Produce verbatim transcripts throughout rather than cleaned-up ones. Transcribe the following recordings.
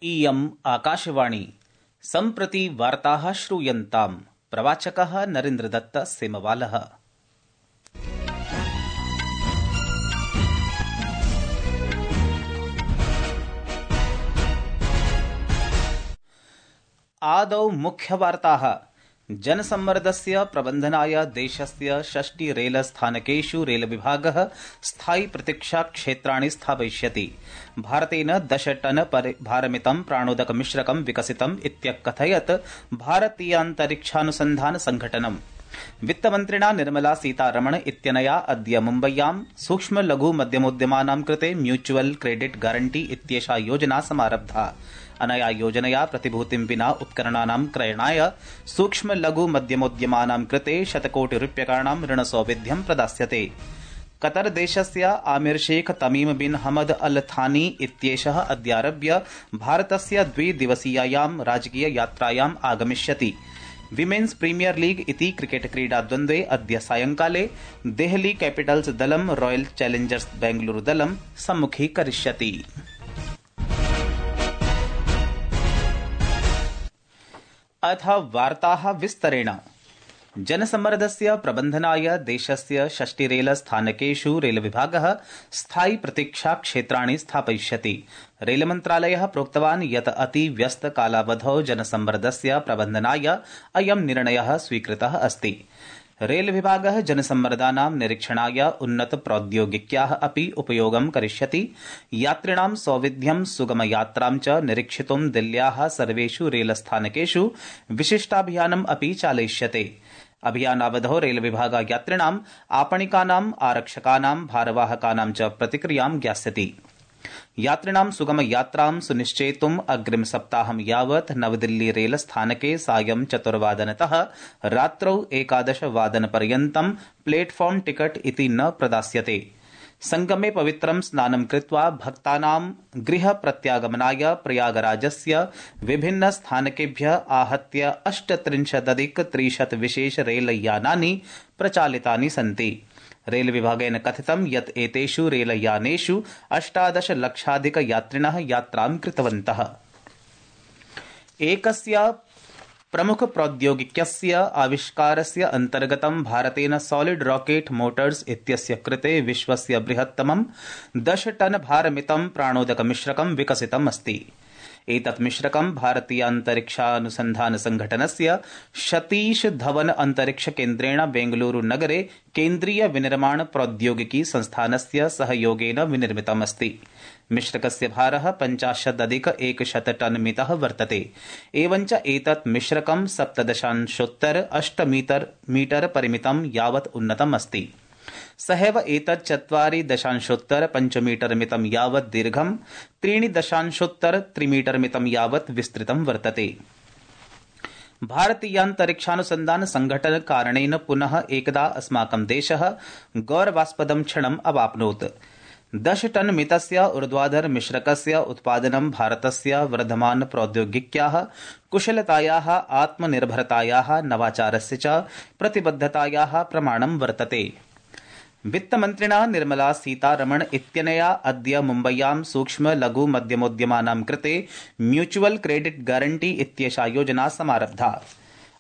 इयम् आकाशवाणी सम्प्रति वार्ताः श्रूयन्ताम्। प्रवाचकः नरेन्द्रदत्त सेमवालः। आदौ मुख्यवार्ताः। जनसम्मर्दस्य प्रबन्धनाय देशस्य षष्टि रेलस्थानकेषु रेलविभागः स्थायि प्रतीक्षाक्षेत्राणि स्थापयिष्यति। भारतेन दश टन भारमितं प्राणोदकमिश्रकं विकसितम् इत्यकथयत् भारतीयान्तरिक्षानुसन्धान संघटनम्। वित्तमन्त्रिणा निर्मला सीतारमण इत्यनया अद्य मुम्बय्यां सूक्ष्म लघु मध्यमोद्यमानां कृते म्यूचुअल क्रेडिट गारंटी इत्येषा योजना समारब्धा। अनया योजनया प्रतिभूतिं विना उपकरणानां क्रयणाय सूक्ष्म लघु मध्यमोद्यमानां कृते शतकोटिरूप्यकाणां ऋणसौविध्यं प्रदास्यते। कतर देशस्य आमिर शेख तमीम बिन हमद अल थानी इत्येषः अद्यारभ्य भारतस्य द्विदिवसीयायां राजकीय यात्रायाम् आगमिष्यति। विमेन्स प्रीमियर लीग इति क्रिकेट क्रीडा द्वन्द्वे अद्य सायंकाले देहली कैपिटल्स दलं रॉयल चैलेंजर्स बेंगलुरु दलं सम्मुखीकरिष्यति। अथ वार्ताः विस्तरेण। जनसम्मर्दस्य प्रबन्धनाय देशस्य षष्टि रेलस्थानकेषु रेलविभागः स्थायि प्रतीक्षाक्षेत्राणि स्थापयिष्यति। रेलमन्त्रालयः प्रोक्तवान् यत् अतिव्यस्तकालावधौ जनसम्मर्दस्य प्रबन्धनाय अयं निर्णयः स्वीकृतः अस्ति। रेलविभागः जनसम्मर्दानां निरीक्षणाय उन्नत प्रौद्योगिक्याः अपि उपयोगं करिष्यति। यात्रिणां सौविध्यं सुगमयात्रां च निरीक्षितुं दिल्ल्याः सर्वेषु रेलस्थानकेषु विशिष्टाभियानम् अपि चालयिष्यते। अभियानावधौ रेलविभागः यात्रिणाम् आपणिकानाम् आरक्षकानां भारवाहकानां च प्रतिक्रियां ज्ञास्यति। यात्रिणां सुगम यात्रां सुनिश्चेतुम् अग्रिम सप्ताहं यावत् नवदिल्ली रेलस्थानके सायं चतुर्वादनतः रात्रौ एकादश वादनपर्यन्तं प्लेटफॉर्म टिकट इति न प्रदास्यते। संगमे पवित्रं स्नानं कृत्वा भक्तानां गृह प्रत्यागमनाय प्रयागराजस्य विभिन्न स्थानकेभ्यः आहत्य अष्टत्रिंशदधिक त्रिशत विशेष रेलयानानि प्रचालितानि सन्ति। रेलविभागेन कथितं यत् एतेषु रेलयानेषु अष्टादश लक्षाधिक यात्रिणः यात्रां कृतवन्तः। एकस्य प्रमुख प्रौद्योगिक्यस्य आविष्कारस्य अन्तर्गतं भारतेन सॉलिड रॉकेट मोटर्स इत्यस्य कृते विश्वस्य बृहत्तमं दश टन भारमितं प्राणोदकमिश्रकं विकसितम् अस्ति। एतत् मिश्रकं भारतीयान्तरिक्षानुसन्धान संघटनस्य सतीश धवन अंतरिक्ष केन्द्रेण बेंगलुरु नगरे केन्द्रीय विनिर्माण प्रौद्योगिकी संस्थानस्य सहयोगेन विनिर्मितम् अस्ति। मिश्रकस्य भारः पञ्चाशदधिक एकशत टन मितः वर्तते। एवञ्च एतत् मिश्रकं सप्तदशांशोत्तर अष्ट मीटर मीटर परिमितं यावत् उन्नतम् अस्ति। सहैव एतत् चत्वारि दशांशोत्तर पञ्चमीटर मितं यावत् दीर्घं, त्रीणि दशांशोत्तर त्रिमीटर मितं यावत् विस्तृतं वर्तते। भारतीयान्तरिक्षानुसन्धान संघटन कारणेन पुनः एकदा अस्माकं देशः गौरवास्पदं क्षणम् अवाप्नोत्। दश टन मितस्य ऊर्ध्वाधर मिश्रकस्य उत्पादनं भारतस्य वर्धमान प्रौद्योगिक्याः कुशलतायाः आत्मनिर्भरतायाः नवाचारस्य च प्रतिबद्धतायाः प्रमाणं वर्तते। वित्तमन्त्रिणा निर्मला सीतारमण इत्यनया अद्य मुम्बय्यां सूक्ष्म लघु मध्यमोद्यमानां कृते म्यूचुअल क्रेडिट गारंटी इत्येषा योजना समारब्धा।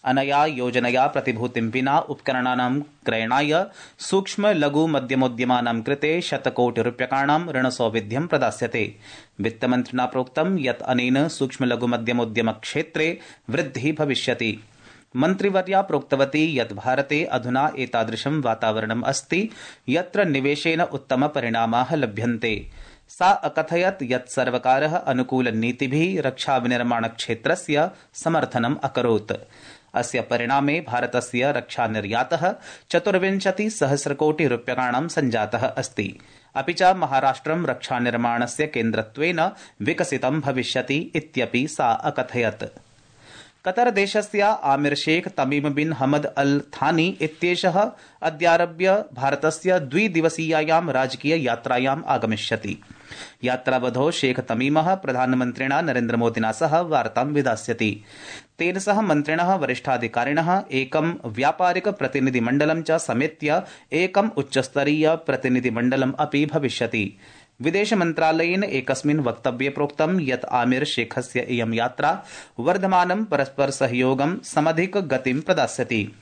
अनया योजनया प्रतिभूतिं विना उपकरणानां क्रयणाय सूक्ष्म लघु मध्यमोद्यमानां कृते शतकोटिरूप्यकाणां ऋणसौविध्यं प्रदास्यते। वित्तमन्त्रिणा प्रोक्तं यत् अनेन सूक्ष्म लघु मध्यमोद्यम क्षेत्रे वृद्धिः भविष्यति। मन्त्रिवर्या प्रोक्तवती यत् भारते अधुना एतादृशं वातावरणम् अस्ति यत्र निवेशेन उत्तम परिणामाः लभ्यन्ते। सा अकथयत् यत् सर्वकारः अनुकूलनीतिभिः रक्षाविनिर्माणक्षेत्रस्य समर्थनम् अकरोत्। अस्य परिणामे भारतस्य रक्षानिर्यातः चतुर्विंशति सहस्रकोटि रूप्यकाणां सञ्जातः अस्ति। अपि च महाराष्ट्रं रक्षानिर्माणस्य केन्द्रत्वेन विकसितं भविष्यति इत्यपि सा अकथयत्। कतर देशस्य आमिर शेख तमीम बिन हमद अल थानी इत्येषः अद्यारभ्य भारतस्य द्विदिवसीयायां राजकीय यात्रायाम् आगमिष्यति। यात्रावधौ शेख तमीमः प्रधानमन्त्रिणा नरेन्द्रमोदिना सह वार्तां विधास्यति। तेन सह मन्त्रिणः वरिष्ठाधिकारिणः एकं व्यापारिक प्रतिनिधिमण्डलं च समेत्य एकम् उच्चस्तरीय प्रतिनिधिमण्डलम् अपि भविष्यति। विदेशमन्त्रालयेन एकस्मिन् वक्तव्ये प्रोक्तं यत् आमिर शेखस्य इयं यात्रा वर्धमानं परस्पर सहयोगं समधिक गतिं प्रदास्यति।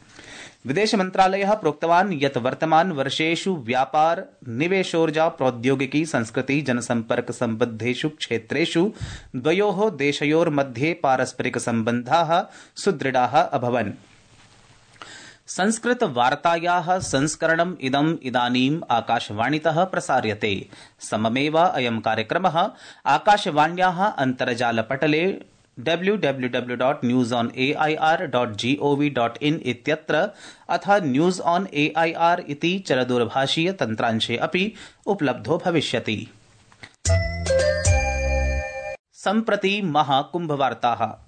विदेशमन्त्रालयः प्रोक्तवान् यत् वर्तमान वर्षेषु व्यापार, निवेशोर्जा, प्रौद्योगिकी, संस्कृति, जनसम्पर्क सम्बद्धेषु क्षेत्रेषु द्वयोः देशयोर्मध्ये पारस्परिक सम्बन्धाः सुदृढाः अभवन्। संस्कृत वार्तायाः संस्करणम् इदम् इदानीम् आकाशवाणीतः प्रसार्यते। सममेव अयं कार्यक्रमः आकाशवाण्याः अन्तर्जालपटले W W W dot news on A I R dot G O V dot in इत्यत्र अथ news on A I R इति चलदूरभाषीय तन्त्रांशे अपि उपलब्धो भविष्यति। सम्प्रति महाकुम्भवार्ताः।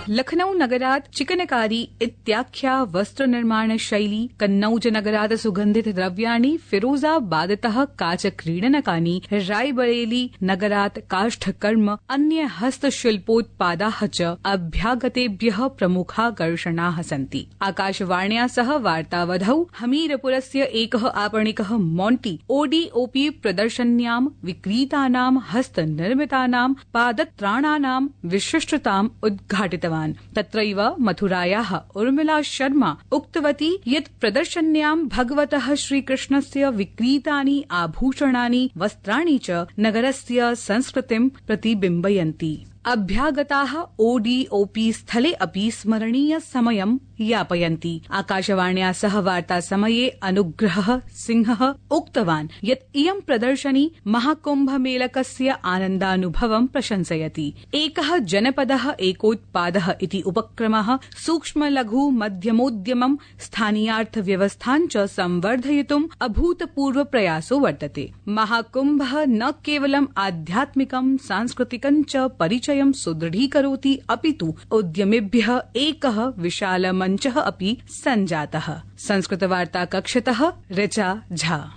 लखनऊ नगरात् चिकनकारी इत्याख्या वस्त्रनिर्माण शैली, कन्नौज नगरात् सुगन्धित द्रव्याणि, फिरोजाबादतः काचक्रीडनकानि, रायबरेली नगरात् काष्ठकर्म, अन्य हस्तशिल्पोत्पादाः च अभ्यागतेभ्यः प्रमुखाकर्षणाः सन्ति। आकाशवाण्या सह वार्तावधौ हमीरपुरस्य एकः आपणिकः मॉन्टी ओडीओपी प्रदर्शन्यां विक्रीतानां हस्तनिर्मितानां पादत्राणानां विशिष्टताम् उद्घाटितवान्। तत्रैव मथुरायाः उर्मिला शर्मा उक्तवती यत् प्रदर्शन्यां भगवतः श्रीकृष्णस्य विक्रीतानि आभूषणानि, वस्त्राणि च नगरस्य संस्कृतिं प्रतिबिम्बयन्ति। अभ्यागताः ओडीओपी स्थले अपि स्मरणीय समयं यापयन्ति। आकाशवाण्या सह वार्ता समये अनुग्रह सिंहः उक्तवान् यत् इयं प्रदर्शनी महाकुम्भमेलकस्य आनन्दानुभवं प्रशंसयति। एकः जनपदः एकोत्पादः इति उपक्रमः सूक्ष्म लघु मध्यमोद्यमं, स्थानीयार्थव्यवस्थां च संवर्धयितुम् अभूतपूर्व प्रयासो वर्तते। महाकुम्भः न केवलम् आध्यात्मिकं, सांस्कृतिकं च परिचयं सुदृढीकरोति, अपितु उद्यमिभ्यः एकः विशाल मञ्चः अपि सञ्जातः। संस्कृतवार्ता कक्षतः ऋचा झा।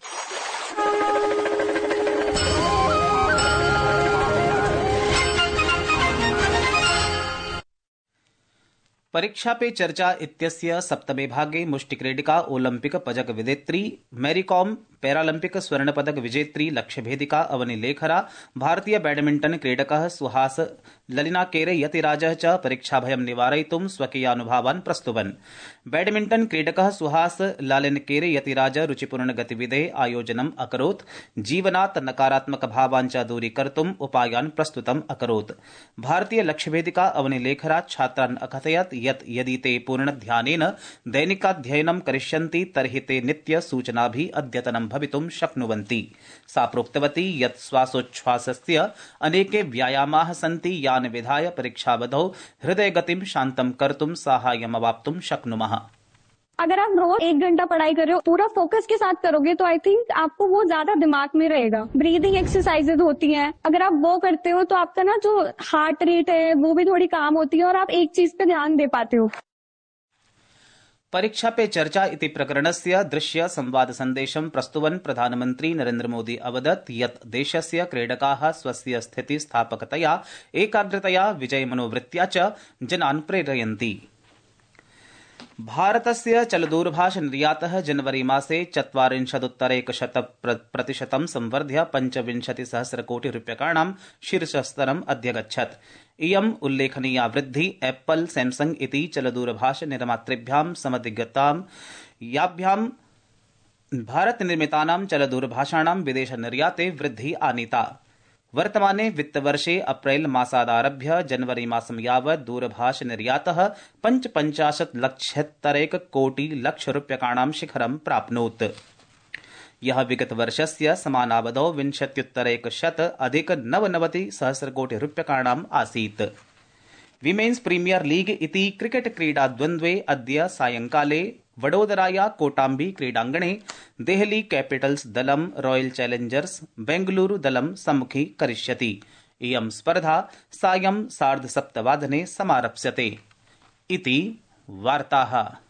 परीक्षा पे चर्चा इत्यस्य सप्तमे भागे मुष्टिक्रीडिका ओलम्पिक पदक विजेत्री मैरीकॉम, पैरालम्पिक स्वर्ण पदक विजेत्री लक्ष्यभेदिका अवनिलेखरा, भारतीय बैडमिण्टन क्रीडकः सुहास ललिनाकेरे यतिराजः च परीक्षाभयं निवारयितुं स्वकीयानुभावान् प्रस्तुवन्। बैडमिण्टन क्रीडकः सुहास लालिनकेरे यतिराज रुचिपूर्ण गतिविधेः आयोजनम् अकरोत्, जीवनात् नकारात्मक भावान् च दूरीकर्तुम् उपायान् प्रस्तुतम् अकरोत्। भारतीय लक्ष्यभेदिका अवनिलेखरा छात्रान् अकथयत् यत् यदि ते पूर्णध्यानेन दैनिकाध्ययनं करिष्यन्ति तर्हि ते नित्य सूचनाभिः अद्यतनं भवितुं शक्नुवन्ति। सा प्रोक्तवती यत् श्वासोच्छ्वासस्य अनेके व्यायामाः सन्ति यान् विधाय परीक्षावधौ हृदयगतिं शान्तं कर्तुं साहाय्यमवाप्तुं शक्नुमः। अगर आप रोज एक घंटा पढ़ाई कर रहे हो, पूरा फोकस के साथ करोगे तो आई थिंक आपको वो ज्यादा दिमाग में रहेगा। ब्रीदिंग एक्सरसाइजेज होती हैं, अगर आप वो करते हो तो आपका ना जो हार्ट रेट है वो भी थोड़ी काम होती है और आप एक चीज पे ध्यान दे पाते हो। परीक्षा पे चर्चा इति प्रकरणस्य दृश्य संवाद सन्देशं प्रस्तुवन् प्रधानमन्त्री नरेन्द्र मोदी अवदत् यत् देशस्य क्रीडकाः स्वस्य स्थितिस्थापकतया, एकाग्रतया, विजयमनोवृत्त्या च जनान् प्रेरयन्ति। भारतस्य चलदूरभाष निर्यातः जनवरी मासे चत्वारिंशदुत्तरैकशत प्रतिशतं संवर्ध्य पञ्चविंशतिसहस्रकोटिरूप्यकाणां शीर्षस्तरम् अध्यगच्छत्। इयम् उल्लेखनीया वृद्धिः एप्पल, सैमसंग इति चलदूरभाष निर्मातृभ्यां समधिगतां याभ्यां भारतनिर्मितानां चलदूरभाषाणां विदेशनिर्याते वृद्धिः आनीता। वर्तमाने वित्तवर्षे अप्रैल मासादारभ्य जनवरी मासं यावत् दूरभाष निर्यातः पञ्चपञ्चाशत् लक्षोत्तरैक कोटि लक्षरूप्यकाणां शिखरं प्राप्नोत्, यः विगतवर्षस्य समानावधौ विंशत्युत्तरैकशत अधिक नवनवति सहस्रकोटिरूप्यकाणाम् आसीत्। विमेन्स प्रीमियर लीग इति क्रिकेट क्रीडा द्वन्द्वे अद्य सायंकाले वडोदराया कोटाम्बी क्रीडाङ्गणे देहली कैपिटल्स दलं रॉयल चैलेंजर्स बेंगलुरु दलं सम्मुखी करिष्यति। इयं स्पर्धा सायं सार्धसप्तवादने समारप्स्यते। इति वार्ताः।